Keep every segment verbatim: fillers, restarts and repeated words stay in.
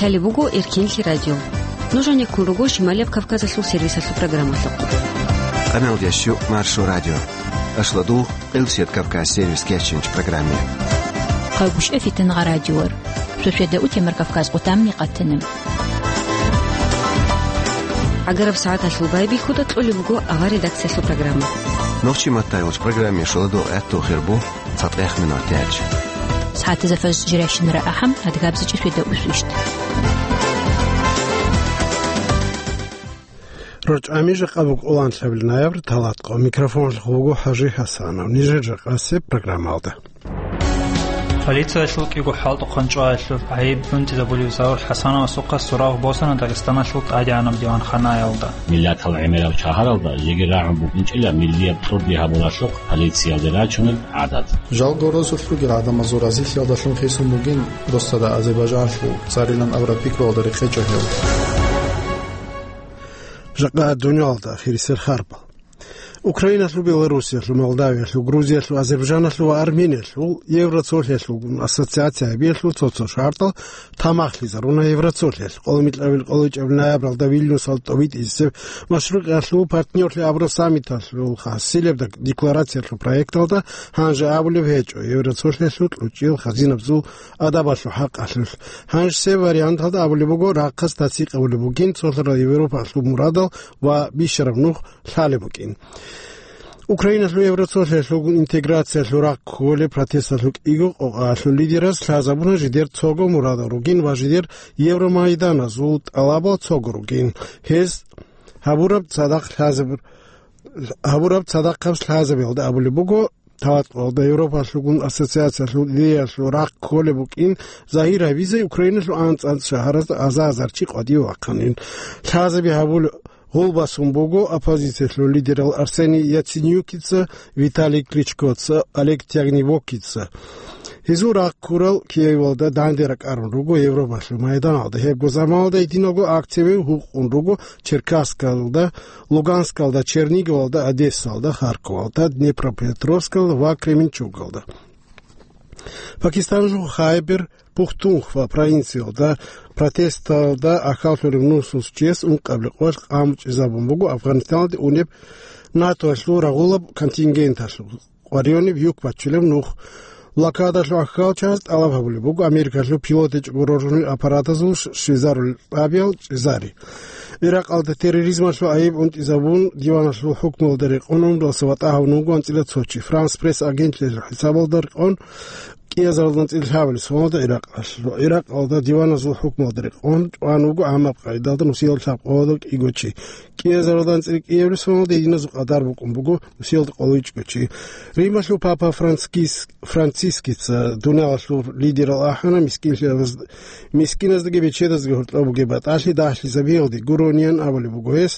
Лъалеб буго Эркенлъи радио. Нуж гьанеккун руго Шималияб Кавказалъул сервисалъул программалъухъ. Къаналдияс щу Маршо радио. Ашлодул, Къилсият Кавказ сервис кечинч программе. Хъагушев Фитнагъа радиор. Суседа у Темир Кавказ къутамни къатана. ГӀагараб сагӀаталъул байбихьуда кьолеб буго авар редакциялъул программа. Нохчи маттайгъуч программе шоладул гӀатту хирбу цатӀех минут тяч. СагӀатазда фажр жиращинара ахӀам, адгабзичӀи суседа усвищт. РачӀами жакъа буго лъабабилеб ноябрь, талатӀкъо. Микрофонлъухъ вуго ХӀажи ХӀасанов. Нижер жакъасеб программалда. Полициялъул кӀиго хӀалтӀухъан чӀваялъул гӀайиб унтизабулев Заур ХӀасановасухъа сурав босана Дагъистаналъул тӀадегӀанаб диванханаялда. Миллатал гӀемераб шагьаралда жеги рагӀун букӀинчӀила миллияб кьурди гьабуралъухъ полициялде рачунеб гӀадат. Жалго, росулъ ругел гӀадамазул разилъиялдалъун хисун бугин досда Азербайжанлъул царилан абураб пикруялда рекъечӀо гьев. Жакъа дуниялалда хирисел харбал. Украиналъул, Белоруссиялъул, Молдавиялъул, Грузиялъул, Азербайжаналъул ва Армениялъул Евроцолъиялъулгун ассоциация гьабиялъул цо-цо шартӀал тамахлъизаруна Евроцолъиялъ. Къоло микьабил къоло ичӀабил ноябралда Вильнюсалда тӀобитӀизесеб машрукъиялъул партнёрлъи абураб саммиталъул хасилеб декларациялъул проекталда гьанже абулеб гьечӀо Евроцолъиялъул кьучӀиял хазинабазул адабалъул хӀакъалъулъ. Гьанжесеб варианталда абулеб буго, рахъалъ тасдикъ гьабулеб бугин цолъарал Европалъул мурадал ва бищараб нух лъалеб букӀин. Украиналъул Евроцолъиялъулгун интеграциялъул рахъ кколеб протесталъул кӀиго къокъаялъул лидераз лъазабуна жидер цого мурадал ругин ва жидер Евромайданазул тӀалабал цого ругин. Гьез гьабураб цадахъ лъазаб-, гьабураб цадахъаб лъазабиялда абулеб буго, талатӀкъоялда Европалъулгун ассоциациялъул идеялъул рахъ кколеб букӀин загьир гьабизе Украиналъул анцӀ-анцӀ шагьаразда аза-азар чи къватӀиве вахъанин. Лъазаби гьабул гъулбасун буго оппозициялъул лидерал Арсений Яценюкица, Виталий Кличкоца, Олег Тягнибокица. Гьезул рахъ ккурал Киевалда данде ракӀарун руго Европалъул майданалда. Гьебго заманалда гьединго акцияби гьукъун руго Черкасскалда, Луганскалда, Черниговалда, Одессалда, Харьковалда, Днепропетровскалда ва Кременчугалда. Пакистаналъул Хайбер Пухтунхва провинциялда протесталда ахӀдолъарав нусус чияс ункъабилеб къоялъ къамучӀезабун буго Афганистаналде унеб НАТОялъул рагъулаб контингенталъул къваригӀунеб юк бачулеб нух. Блокадалъул ахӀдолчияс тӀалаб гьабулеб буго Америкалъул пилот гьечӀого роржунел аппаратазул щ-, щвезарулел тӀабиял чӀезари. Иракъалда терроризмалъул гӀайиб унтизабун диваналъул хӀукмуялда рекъон унралъа ватӀа гьавун вуго анцӀила цо чи. Франс Пресс агентлъиялъул хӀисабалда рекъон, кӀиазаралда анцӀила лъабабилеб соналда Иракъалъ-, Иракъалда диваназул хӀукмуялда рекъон чӀван вуго гӀаммаб къагӀидалда нусиялда лъабкъоялда кӀиго чи. КӀиазаралда анцӀила кӀиабилеб соналда гьединазул къадар букӀун буго нусиялда къоло ичӀго чи. Рималъул папа Францискис-, Францискица дуниялалъул лидерал ахӀана мискинлъиялаз-, мискиназдаги бечедаздаги гьоркьоб бугеб батӀалъи дагьлъизабиялде гурониан абулеб буго гьес,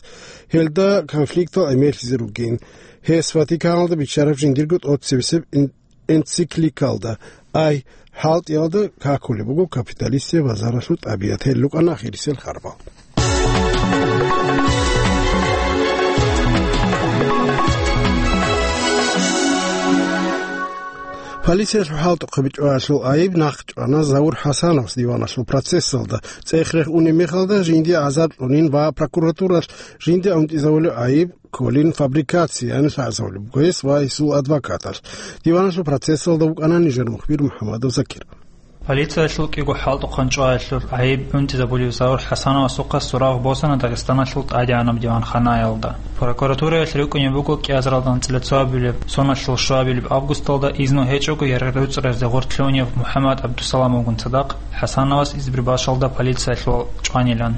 гьелда конфликтал гӀемерлъизе ругин. Гьес Ватиканалда биччараб жиндирго тӀоцебесеб эн-, энцикликалда, ай, хӀалтӀиялда какулеб буго капиталистияб базаралъул тӀабигӀат. Гьел рукӀана ахирисел харбал. Полициялъул хӀалтӀухъе бичӀчӀулелъул гӀайиб нахъчӀвана Заур ХӀасановас диваналъул процессалда. ЦӀех-рех унеб мехалда жиндие гӀазаб кьунин ва прокуратуралъ жинда унтӀизабулеб гӀайиб кколин фабрикациян лъазабулеб буго гьес ва гьесул адвокаталъ. Диваналъул процессалда вукӀана нижер мухбир МухӀаммадов Закир. Полициялъул кӀиго хӀалтӀухъан чӀваялъул гӀайиб унтизабулев Заур ХӀасановасухъа сурав босана Дагъистаналъул тӀадегӀанаб диванханаялда. Прокуратураялъ рикӀкӀунеб буго кӀиазаралда анцӀила цоабилеб соналъул щуабилеб августалда изну гьечӀого яргъи руцӀаразде гъоркь лъугьунев МухӀаммад ГӀабдусаламовгун цадахъ ХӀасановас Избербашалда полициялъул чӀванилан.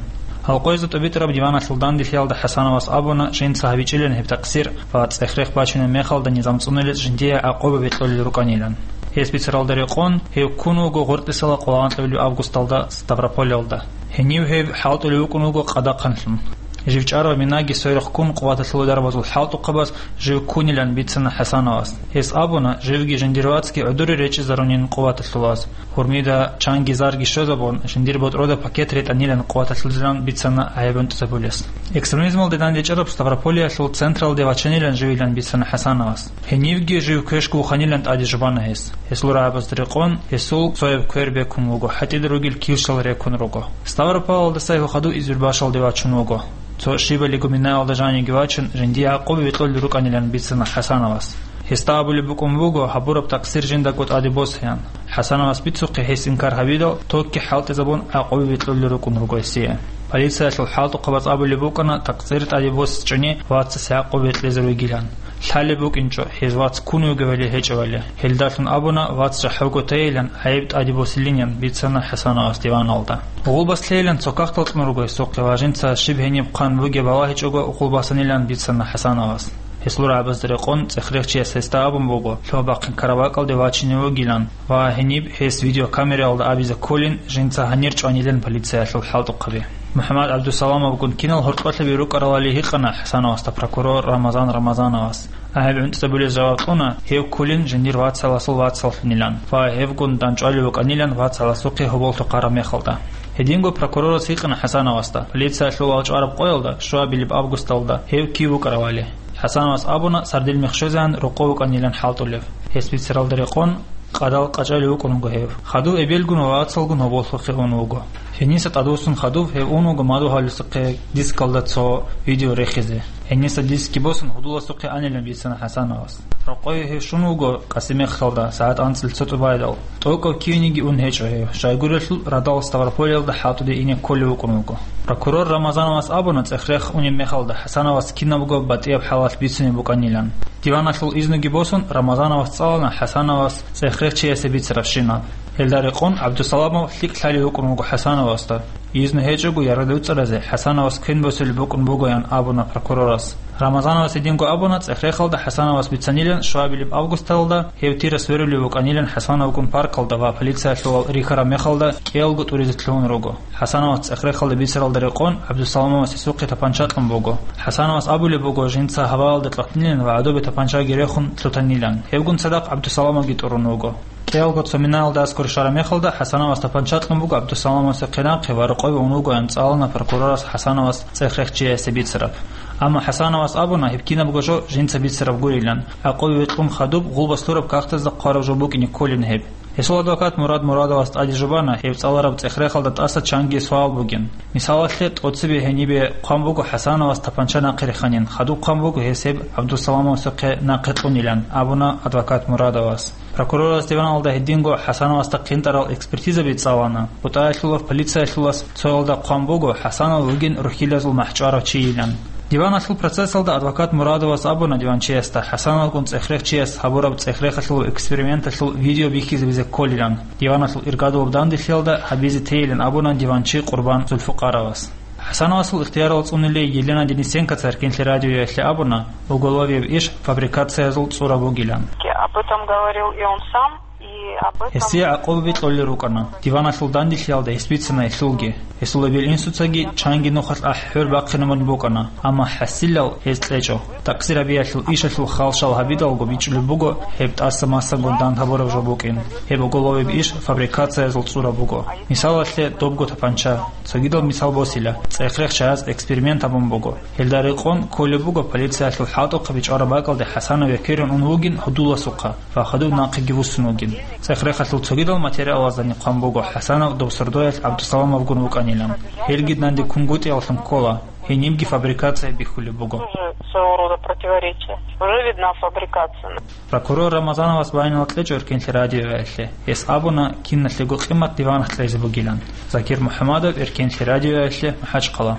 Гьалкъоязда тӀубитӀараб диваналъул данделъиялда ХӀасановас абуна, жинца гьабичӀилан гьеб такъсир ва цӀех-рех бачунеб мехалда низам цӀунулел жиндие гӀакъуба бекьулел рукӀанилан. Гьес бицаралда рекъон, гьев ккун вуго гъоркьисала къоло анкьабилеб августалда Ставрополалда. Гьенив гьев хӀалтӀулев вукӀун вуго къадахъанлъун. Жив чӀарав минаги сверухъ ккун къуваталъулел дарбазул хӀалтӀухъабаз жив ккунилан бицана ХӀасановас. Гьес абуна, живги жиндир вацги гӀодоре речӀчӀизарунин къуваталъулаз. Гьурмида чанги зарги щвезабун, жиндир ботӀрода пакет ретӀанилан къуваталъулзилан бицана гӀайиб гӀунтӀизабулес. Экстремизмалде дандечӀараб Ставрополиялъул централде вачанилан живилан бицана ХӀасановас. Гьенибги жив квешго вуханилан тӀаде жубана гьес. Гьесул рагӀабазда рекъон, гьесул цояб квер бекун вуго, гьатӀида ругел килщал рекун руго. Ставрополалдаса гьев хадув Избербашалде вачун вуго. Цо щибали гуминаялда жаниги вачун, жиндие гӀакъуба векьулел рукӀанилан бицана ХӀасановас. Гьесда абулеб букӀун буго, гьабураб такъсир жиндаго тӀаде босеян. ХӀасановас бицухъе гьес инкар гьабидал, токги хӀалтӀизабун, гӀакъуба векьулел рукӀун руго гьесие. Полициялъул хӀалтӀухъабаз абулеб букӀана, такъсир тӀаде босичӀони вацасе гӀакъуба векьизе ругилан. Лъалеб букӀинчӀо, гьез вац ккун вугевали гьечӀевали. Гьелдалъун абуна, вац жахӀалго тейилан, гӀайиб тӀаде босилинин бицана ХӀасановас диваналда. Гъулбас лъейилан цо кагътал кьун руго гьесухъе ва жинца щиб гьениб хъван бугеб балагьичӀого гъулбасанилан бицана ХӀасановас. Гьесул рагӀабазда рекъон цӀехрехчияс гьесда абун буго, лъугьа-бахъин карабакӀалде вачине вугилан ва гьениб гьес видеокамераялда абизе кколин, жинца гьанир чӀванилан полициялъул хӀалтӀухъаби. МухӀаммад ГӀабдусаламовгун кинал гьоркьолъаби рукӀаралали гьикъана ХӀасановасда прокурор Рамазан Рамазановас. ГӀайиб гӀунтӀизабулез жаваб кьуна, гьев кколин жиндир вацаласул вацаллъунилан ва гьевгун дандчӀвалев вукӀанилан вацаласухъе гьоболлъухъ гьараб мехалда. Гьединго прокурорас гьикъана ХӀасановасда, полициялъул валчӀвараб къоялда, щуабилеб августалда, гьев кив вукӀаравали. ХӀасановас абуна, сардил мех щвезегӀан рокъов вукӀанилан хӀалтӀулев. Гьес бицаралда рекъон, къадал къачӀалев вукӀун вуго гьев. Хадув эбелгун ва вацалгун гьоболлъухъе ун вуго. Гьениса тӀадвуссун хадув гьев ун вуго мадугьаласухъе дискалда цо видео рехизе. Гьениса дискги босун, гьудуласухъе анилан бицана ХӀасановас. Рокъове гьев щун вуго Къасимехалда сагӀат анцӀил цо тӀубайдал. ТӀокӀав кивениги ун гьечӀо гьев, щайгурелъул радал Ставрополиялда хӀалтӀуде ине кколев вукӀун вуго. Прокурор Рамазановас абуна, цӀехрех унеб мехалда ХӀасановас кинабго батӀияб хӀалалъ бицунеб букӀанилан. Диваналъул изнуги босун, Рамазановас цӀалана ХӀасановас цӀехрехчиясе бицарабщинаб. Гьелда рекъон ГӀабдусаламов лъикӀ лъалев вукӀун вуго ХӀасановасда. Изну гьечӀого яргъи дуцӀаразе ХӀасановас квен босулеб букӀун бугоян абуна прокурорас. Рамазановас гьединго абуна, цӀехрехалда ХӀасановас бицанилан, щуабилеб августалда гьев тира сверулев вукӀанилан ХӀасановгун паркалда ва полициялъувал рихьараб мехалда кӀиялго тӀуризе лъугьун руго. ХӀасановас цӀехрехалда бицаралда рекъон ГӀабдусаламовас гьесухъе тапанча кьун буго. ХӀасановас абулеб буго, жинца гьаваялда кьатӀнилан ва гӀодобе тапанчаги рехун лъутанилан. Гьевгун цадахъ ГӀабдусаламовги тӀурун вуго. КӀиялго цо минаялда аскӀор щвараб мехалда ХӀасановас тапанча кьун буго ГӀабдусаламовасухъе нахъе ва рокъове ун вугоян цӀалана прокурорас ХӀасановас цӀехрехчиясе бицараб. Амма ХӀасановас абуна, гьеб кинабго жо жинца бицараб гурилан, гӀакъуба векьун хадуб гъулбас лъураб кагътазда хъвараб жо букӀине кколин гьеб. Гьесул адвокат Мурад Мурадовас тӀаде жубана гьев цӀалараб цӀехрехалда тӀаса чанги суал бугин. Мисалалъе, тӀоцебе гьенибе хъван буго ХӀасановас тапанча нахъе реханин, хадуб хъван буго гьес гьеб ГӀабдусаламовасухъе нахъе кьунилан, абуна адвокат Мурадовас. Прокурорас диваналда гьединго ХӀасановасда хъинтӀарал экспертизаби цӀалана. БутӀаялъулав полициялъулас цоялда хъван буго ХӀасанов вугин рухьилазул махӀчӀварав чийилан. Диваналъул процессалда адвокат Мурадовас абуна диванчиясда, ХӀасановгун цӀехрехчияс гьабураб цӀехрехалъул эксперименталъул видео бихьизабизе кколилан. Диваналъул иргадулаб данделъиялда гьабизе тейилан абуна диванчи Къурбан Зулфукъаровас. ХӀасановасул ихтиярал цӀунулей Елена Денисенкоца Эркенлъи радиоялъе абуна, уголовияб иш фабрикациязул цӀура бугилан. Об этом говорил и он сам, и об этом... Гьесие гӀакъуба бикьулел рукӀана. Диваналъул данделъиялда гьес бицана гьелъулги. Гьесул эбел-инсуцаги чанги нухалъ ахӀи-хӀор бахъинабун букӀана, амма хӀасилал гьез кьечӀо. Такъсир гьабиялъул ишалъул халшал гьабидалго бичӀчӀулеб буго гьеб тӀаса массабго дандгьабураб жо букӀин. Гьеб уголовияб иш фабрикациязул цӀура буго. Мисалалъе, добго тапанча. Цогидал мисал босила, цӀехрехчияс эксперимент гьабун буго. Гьелда рекъон кколеб буго полициялъул хӀалтӀухъаби чӀвараб бакӀалде ХӀасанов векерун ун вугин гьудуласухъа ва хадуб нахъеги вуссун вугин. ЦӀехрехалъул цогидал материалаздани хъван буго ХӀасанов доб сордоялъ ГӀабдусаламовгун вукӀанилан. Гьелги данде кунгутӀияллъун ккола, гьенибги фабрикация бихьулеб буго. Тоже своего рода противоречие. Уже видна фабрикация. Прокурор Рамазановас байинал кьечӀо Эркенлъи радиоялъе. Гьес абуна, киналъего къимат диванахъ кьезе бугилан. Закир МухӀамадов, Эркенлъи радиоялъе, МахӀачхъала.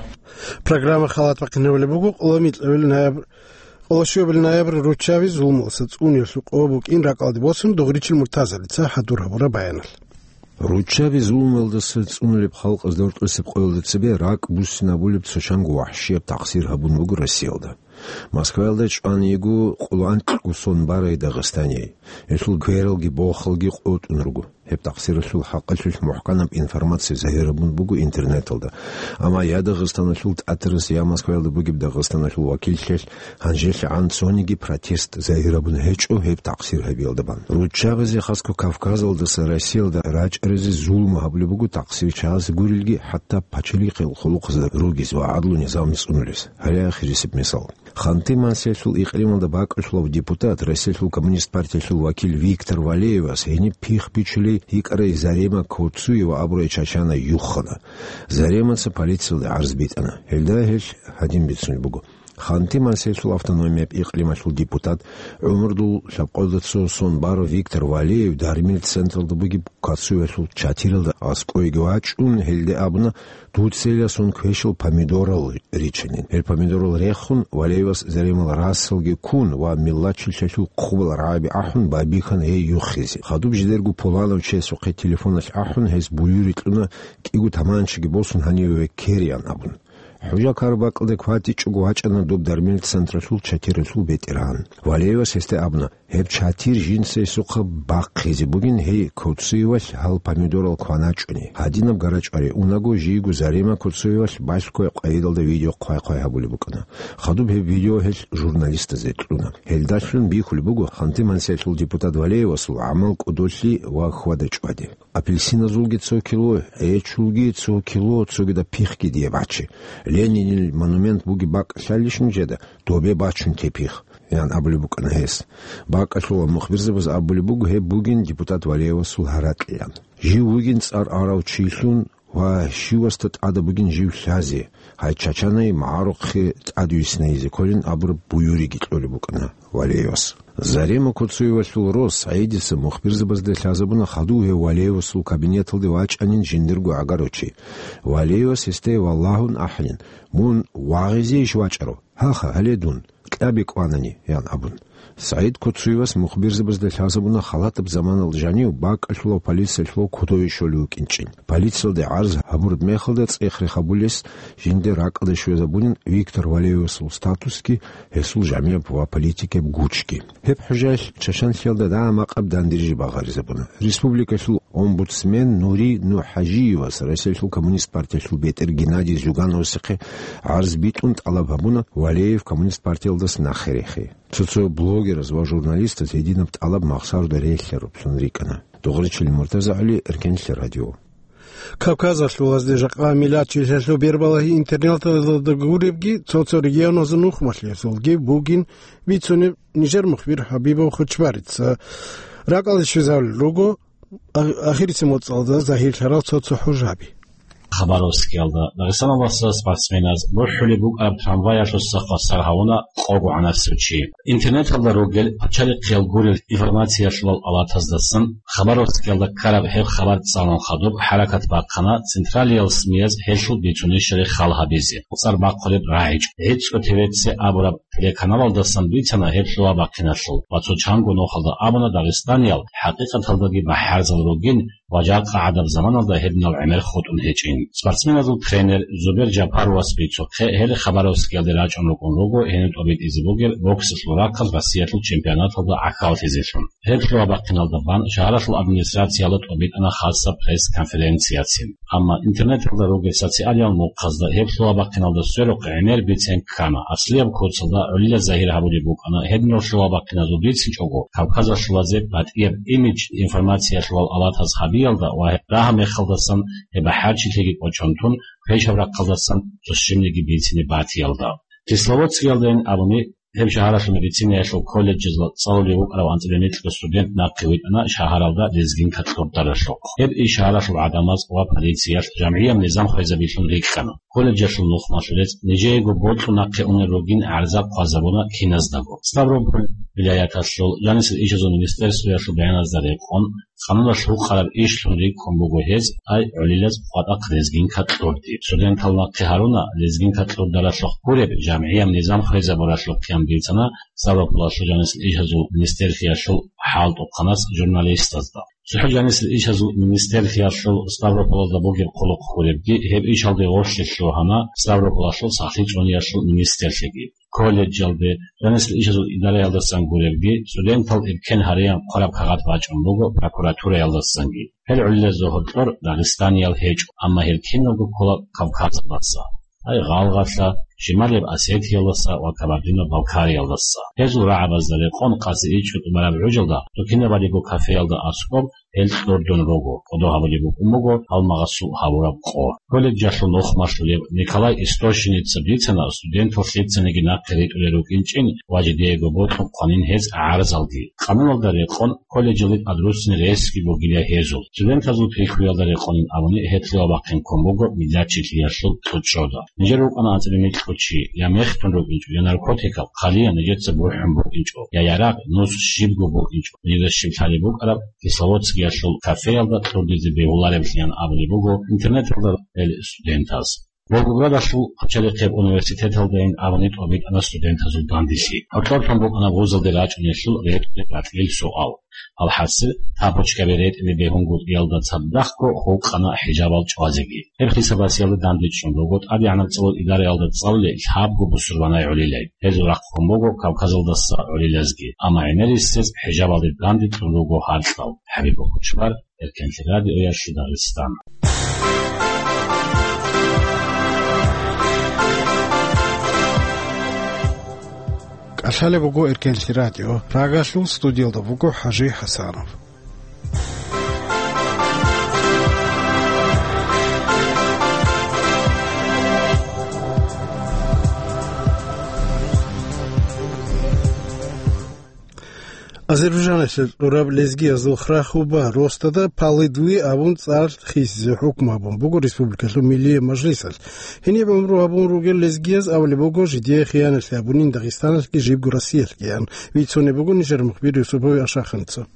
Программа халат бахъинабулеб буго къоло микьабил ноябрь, къоло щуабил ноябрь руччаби зулмалъа цӀунулъул къо букӀин ракӀалде босун Дугъричил Муртазалица хӀадур гьабураб баяналъ. Руччаби зулмалдаса цӀунулеб халкъазда гьоркьосеб къоялда цебе ракӀ буссинабулеб цо чанго вахӀшияб такъсир гьабун буго Россиялда. Москваялда чӀван йиго къоло анкьго сон барай Дагъистание. Гьелъул квералги бохалги къотӀун руго. Гьеб такъсиралъул хӀакъалъулъ мухӀканаб информация загьир гьабун буго интернеталда. Амма я Дагъистаналъул ТӀатарас, я Москваялда бугеб Дагъистаналъул вакиллъиялъ гьанжелъагӀан цониги протест загьир гьабун гьечӀо гьеб такъсир гьабиялда бан. Руччабазе, хасго Кавказалдаса Россиялда рачӀаразе зулму гьабулеб буго такъсирчияз гурелги, хӀатта пачалихъил хъулухъазда ругез ва гӀадлу низам цӀунулес. Гьале ахирисеб мисал. Ханты-Мансиялъул икълималда бакӀалъулав депутат, Россиялъул коммунист партиялъул вакил Виктор Валеевас гьениб пихъ бичулей йикӀарай Зарема Коцуева абурай чачана юхана. Заремаца полициялде гӀарз битӀана. Гьелда гьелъ гьадин бицунеб буго. Ханты-Мансиялъул автономияб икълималъул депутат, гӀумрудул лъабкъоялда цо сон барав Виктор Валеев дармил централда бугеб Коцуевалъул чатиралда аскӀойги вачӀун, гьелде абуна, дуцайилан сон квешал помидорал ричанин. Гьел помидорал рехун, Валеевас Заремал расалги ккун ва миллачилъалъул хъубал рагӀаби ахӀун, байбихьана гьей юхизе. Хадуб жидерго пуланав чиясухъе телефоналъ ахӀун, гьес буюри кьуна, кӀиго таманчаги босун, гьаниве веккереян абун. ХӀужа-карабакьалда кватӀичӀого вачӀана доб дармил централъул чатиралъул ветеран. Валеевас гьесда абуна, гьеб чатир жинца гьесухъа бахъизе бугин, гьей Коцуевалъ гьал помидорал кваначӀони. Гьадинаб гарачӀвари унаго, жийго Зарема Коцуевалъ балъго къайдалда видео хъвай-хъвай гьабулеб букӀана. Хадуб гьеб видео гьелъ журналистазе кьуна. Гьелдалъун бихьулеб буго Ханты-Мансиялъул депутат Валеевасул гӀамал кӀодолъи ва хьвада-чӀвади. Апельсиназулги цо кило, гӀечулги цо кило, цогидаб пихъги дие бачи. Ленинил монумент бугеб бакӀ лъалищ нужеда, добе бачун те пихъ, ян абулеб букӀана гьес. БакӀалъулал мухбирзабаз абулеб буго, гьеб бугин депутат Валеевасул гьаракьилан. Жив вугин цӀар арав чилъун ва щивасда тӀада бугин жив лъазе, гьай чачанай магӀарухъе тӀадвиснайизе кколин абураб буюриги кьолеб букӀана Валеевас. Зарема Коцуевалъул рос СагӀидица мухбирзабазда лъазабуна хадув гьев Валеевасул кабинеталде вачӀанин жиндирго гӀагарав чи. Валеевас гьесде валагьун ахӀанин: «Мун вагъизейищ вачӀарав? Гьаха, гьале дун, кьаби кӀванани», — ян абун. СагӀид Коцуевас мухбирзабазда лъазабуна халатаб заманалда жанив бакӀалъулав полициялъул кодове щолев вукӀинчӀин. Полициялде гӀарз гьабураб мехалда цӀех-рех гьабулес жинда ракӀалде щвезабунин Виктор Валеевасул статусги, гьесул жамияб ва политикияб гучги. Гьеб хӀужаялъ чачанлъиялда дагьа-макъаб дандеризе багъаризабуна. Республикалъул омбудсмен Нури НухӀажиевас Россиялъул коммунист партиялъул бетӀер Геннадий Зюгановасехъе гӀарз битӀун тӀалаб гьабуна Валеев коммунист партиялдаса нахъе рехе. Цо-цо блогераз ва журналистаз гьединаб тӀалаб махсаруда релълъаруллъун рикӀкӀана. Дугъричилин Муртазагьали, Эркенлъи радио. Кавказалъул гьезде жакъа миллатчилъалъул бербалагьи интернеталда гуребги, цо-цо регионазул нухмалъиялъулги бугин бицунеб нижер мухбир Хабибов Хучбарица. РакӀалде щвезарулел руго а-, ахирисеб моцӀалда загьирлъарал цо-цо хӀужаби. Хабаровскиялда Дагъистаналдаса спортсменаз бухӀулеб букӀараб трамваялъуса хвасар гьавуна къого гӀанасев чи. Интернеталда ругел пачалихъиял гурел информациялъулал алатаздасан Хабаровскиялда ккараб гьеб хабар цӀалун хадуб хӀаракат бахъана централиял СМИяз гьелъул бицунищали хал гьабизе. ЦӀар бахъулеб рагӀичӀ. ГӀицӀго ТВЦ абураб телеканалалдасан бицана гьеб лъугьа-бахъиналъул ва цо чанго нухалда абуна дагъистаниял хӀакъикъаталдаги бахӀарзал ругин ва жакъа гӀадаб заманалда гьеб нал гӀемер хутӀун гьечӀин. Спортсменазул тренер Зубер Жапаровас бицухъе, гьел Хабаровскиялде рачӀун рукӀун руго гьениб тӀобитӀизе бугеб боксалъул рахъалъ Россиялъул чемпионаталда гӀахьаллъизелъун. Гьеб лъугьа-бахъиналда бан шагьаралъул администрациялда тӀобитӀана хасаб пресс-конференцияцин. Амма интернеталда ругел социалиял мухъазда гьеб лъугьа-бахъиналда сверухъ гӀемер бицен ккана. Аслияб курсалда гӀолила загьир гьабулеб букӀана гьединал лъугьа-бахъиназул бицинчӀого кавказалъулазе батӀияб имидж информациялъулал алатаз гьабиялда ва гьеб рагьа-мехалдасан гьеб бахӀарчилъиги кӀочон тун, квешаб рахъалдасан цо щибниги бицине батиялда. Кисловодскиялдайин абуни, гьеб шагьаралъул медицинаялъул колледжазда цӀалулев вукӀарав анцӀила микьго студент нахъе витӀана шагьаралда лезгинка кьурдаралъухъ. Гьеб иш шагьаралъул гӀадамаз ва полициялъ жамгӀияб низам хвезабилъун рикӀкӀана. Колледжалъул нухмалъулез нижеего бокьун нахъе унел ругин гӀарза хъвазабуна киназдаго. Ставрополь вилаяталъул жанисел ишазул министерствоялъул баяназда рекъон, къануналъ гьукъараб ишлъун рикӀкӀун буго гьез, ай гӀолилаз къватӀахъ лезгинка кьурди. Студентал нахъе гьаруна лезгинка кьурдаралъухъ гуреб жамгӀияб низам хвезабуралъухъ, ян бицана Ставрополалъул жанисел ишазул министерствоялъул хӀалтӀухъанас журналистазда. ЦохӀо жанисел ишазул министерлъиялъул Ставрополалда бугеб хъулухъ гуребги, гьеб ишалде гъорлъе лъугьана Ставрополалъул сахлъи чӀваниялъул министерлъиги. Колледжалде, жанисел ишазул идараялдасан гуребги, студентал эркен гьареян хъвараб кагъат бачӀун буго прокуратураялдасанги. Гьел гӀолилазда гьоркьор дагъистаниял гьечӀо, амма гьел киналго ккола Кавказалдаса, ай, Гъалгъалъа, Шималияб Осетиялдаса ва Кабардино-Балкариялдаса. Гьезул рагӀабазда рекъон къаси ичӀго тӀубараб гӀужалда, цо кинабалиго кафеялда аскӀоб гьел кьурдун руго, кӀодо гьабулеб букӀун буго гьалмагъасул гьабураб къо. Колледжалъул нухмалъулев Николай Истощиница бицана, студентал лъицаниги нахъе ритӀулел рукӀинчӀин ва жидеего бокьун хъванин гьез гӀарзалги. Къануналда рекъон, колледжалде тӀадруссине ресги бугилан гьезул. Студентазул пикруялда рекъонин абуни, гьелъие вахъинккун буго миллатчилъиялъул кьучӀрода. Нижер рукӀана анцӀила микьго чи, я мехтун рукӀинчӀо, я наркотикал, хъалиян нижеца бухӀун букӀинчӀо, я ярагъ, нус, щибго букӀинчӀо, нижеда щиб лъалеб букӀараб Кисловодскиялъул кафеялда кьурдизе бегьулареблъиян абулеб буго интернеталда гьел студентаз. Волгоградалъул пачалихъеб университеталдайин абуни тӀобитӀана студентазул данделъи. Гьоркьор тун букӀана вузалде рачӀунелъул ретӀунеб батӀлил суал. АлхӀасил, тапочкаби ретӀине бегьунгутӀиялда цадахъго хутӀана хӀижабал чӀвазеги. Гьеб хисабасиялда дандечӀун руго ТӀадегӀанаб цӀалул идараялда цӀалулел лъабго бусурбанай гӀолилай. Гьезул рахъун буго Кавказалдаса гӀолилазги. Амма гӀемерисез хӀижабалде данде кьун руго гьаркьал. ХӀабиб Кучмар, Эркенлъи радиоялъе Дагъистан. КӀалъалеб буго Эркенлъи радио. Прагалъул студиялда буго ХӀажи ХӀасанов. Азербайжаналъе кьураб лезгиязул Храхуба Ростада Палыдви абун цӀар хисизе хӀукму гьабун буго республикалъул Миллияб мажлисалъ. Гьениб гӀумру гьабун ругел лезгияз абулеб буго, жидее хияналъи гьабунин Дагъистаналъги жибго Россиялъгиян. Бицунеб буго нижер мухбир Юсупов Ашаханица.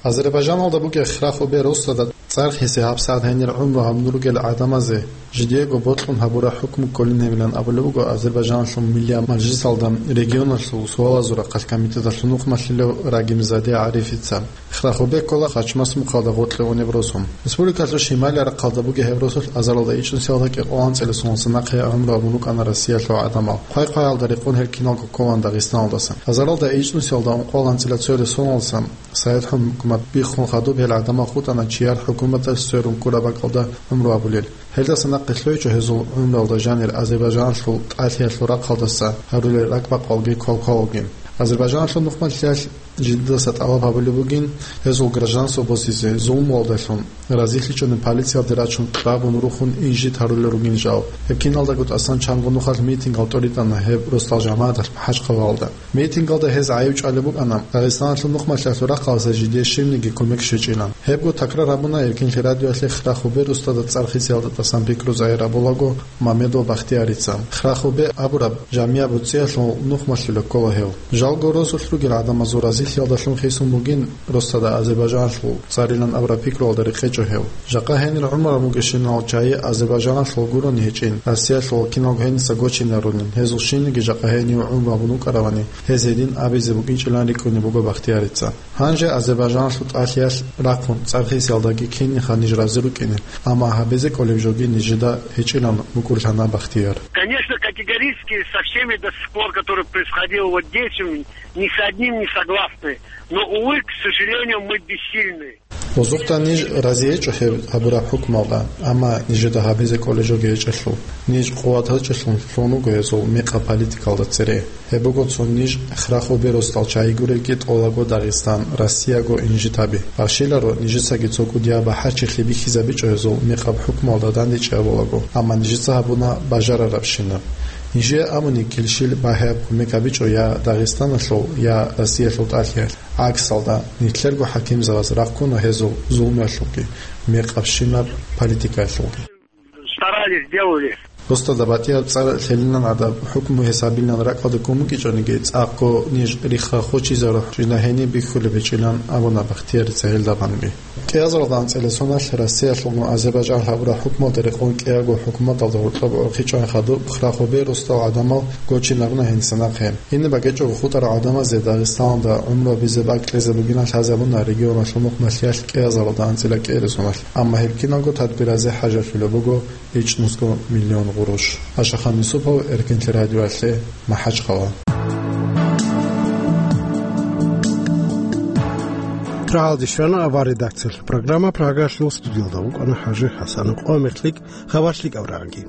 Азербайжаналда бугеб Храхубе Ростада цӀар хисе гьабсагӀат гьенир гӀумру гьабун ругел гӀадамазе жидеего бокьун гьабураб хӀукму кколин гьебилан абулеб буго Азербайжаналъул Миллияб мажлисалда регионалъул суалазул рахъалъ комитеталъул нухмалъулев Рагимзаде ГӀарифица. Храхубе ккола Хачмас мухъалда гъоркье унеб росу. Республикалъул шималияб рахъалда бугеб гьеб росулъ азаралда ичӀнусиялда кӀикъоялда анцӀила соналдаса нахъе гӀумру гьабун рукӀана Россиялъул гӀадамал. Хъвай-хъваялда рекъон гьел киналго кколаан Дагъистаналдаса. Азаралда ичӀнусиялда ункъоялда анцӀила цоялда соналдаса Совет хӀукумат биххун хадуб гьел гӀадамал хутӀана чияр хӀукуматалъ сверун ккураб бакӀалда гӀумру гьабулел. Гьелдаса нахъе лъугьичӀо гьезул гӀумруялда жанир Азербайжаналъул тӀалъиялъул рахъалдаса гьарулел ракӀбакъалги квалквалалги. Азербайжаналъул нухмалъиялъ жидедаса тӀалаб гьабулеб бугин гьезул гражданство босизе, зулмуялдалъун разилъичӀони полициялде рачун кьабун рухун инжит гьарулел ругин жал. Гьеб киналдаго тӀасан чанго нухалъ митингал тӀоритӀана гьеб росдал жамагӀаталъ МахӀачхъалалда. Митингалда гьез гӀайиб чӀвалеб букӀана Дагъистаналъул нухмалъиялъул рахъалдаса жидее щибниги кумек щвечӀилан. Гьебго такрар гьабуна Эркенлъи радиоялъе Храхубе Ростада цӀар хисиялда тӀасан пикру загьир гьабулаго Мамедов Бахтиярица. Храхубе абураб жамигӀат буцӀиялъул нухмалъулеб ккола гьев. Жалго росулъ ругел гӀадамазул разилъиялдалъун хисун бугин Ростада Азербайжаналъул цӀарилан абураб пикруялда рекъечӀо гьев. Жакъа гьенир гӀумру гьабун бугебщинал чагӀи Азербайжаналъул гурони гьечӀин, Россиялъул киналго гьениса гочине гьарунин, гьезул щинниги жакъа гьенив гӀумру гьабун вукӀаравани, гьез гьедин абизе букӀинчӀилан рикӀкӀунеб буго Бахтиярица. Гьанже Азербайжаналъул тӀалъиялъ рахъун цӀар хисиялдаги киниха ниж рази рукӀине, амма гьабизе кӀолеб жоги нижеда гьечӀилан букӀурлъана Бахтияр. Конечно, категорически со всеми до сих пор, которые происходило вот здесь, м, ни с одним не согласны. Но, увы, к сожалению, мы бессильны. Гьезухъа ниж рази гьечӀо гьеб гьабураб хӀукмалда, амма нижеда гьабизе кӀолеб жоги гьечӀелъул, ниж къуват гьечӀелъун лъун вуго гьезул мекъаб политикалда цере. Гьеб буго цо ниж Храхубе Ростал чагӀи гуребги тӀолаго Дагъистан, Россияго инжит гьаби. Бахшиларо нижецаги цо кӀудияб бахӀарчилъи бихьизабичӀо гьезул мекъаб хӀукмалда дандечӀей абулаго, амма нижеца гьабуна бажарарабщинаб. Нижее абуни килщил багьаяб кумек гьабичӀо я Дагъистаналъул, я Россиялъул тӀалъиялъ. ГӀаксалда, нилъерго хӀакимзабаз рахъуна гьезул зулмуялъулги, мекъабщинаб политикаялъулги. Старались, делали. Досда батӀияб цӀар лъелилан гӀадаб, хӀукму гьесабилан ракӀалда ккун букӀичӀониги, цӀакъго ниж рихха хочизарухъ жинда гьениб бихьулеб гьечӀилан абуна Бахтиярица гьелда гъанби. КӀиазаралда анцӀила соналъ Россиялъулгун Азербайджан гьабураб хӀукмалда рекъон кӀиаго хӀукуматалда гьоркьоб гӀорхъичӀони хадуб храхубе росдал гӀадамал гочинаруна гьениса нахъе. Гьениб бакӀичӀого хутӀарал гӀадамазе Дагъистаналда гӀумру гьабизе бакӀ кьезе бугилан лъазабуна регионалъул мухъ малъиялъ кӀиазаралда анцӀила кӀиабилеб соналъ, амма гьеб киналго тадбиразе хӀажалъулеб буго ичӀнусго миллион гъурущ. Ашахан Юсупов, Эркенлъи радиоялъе, МахӀачхъала. Рагьалде щвана авар редакциялъул программа, Прагалъул студиялда вукӀана ХӀажи ХӀасанов. Къо мехлъик хабар лъикӀаб рагӀаги.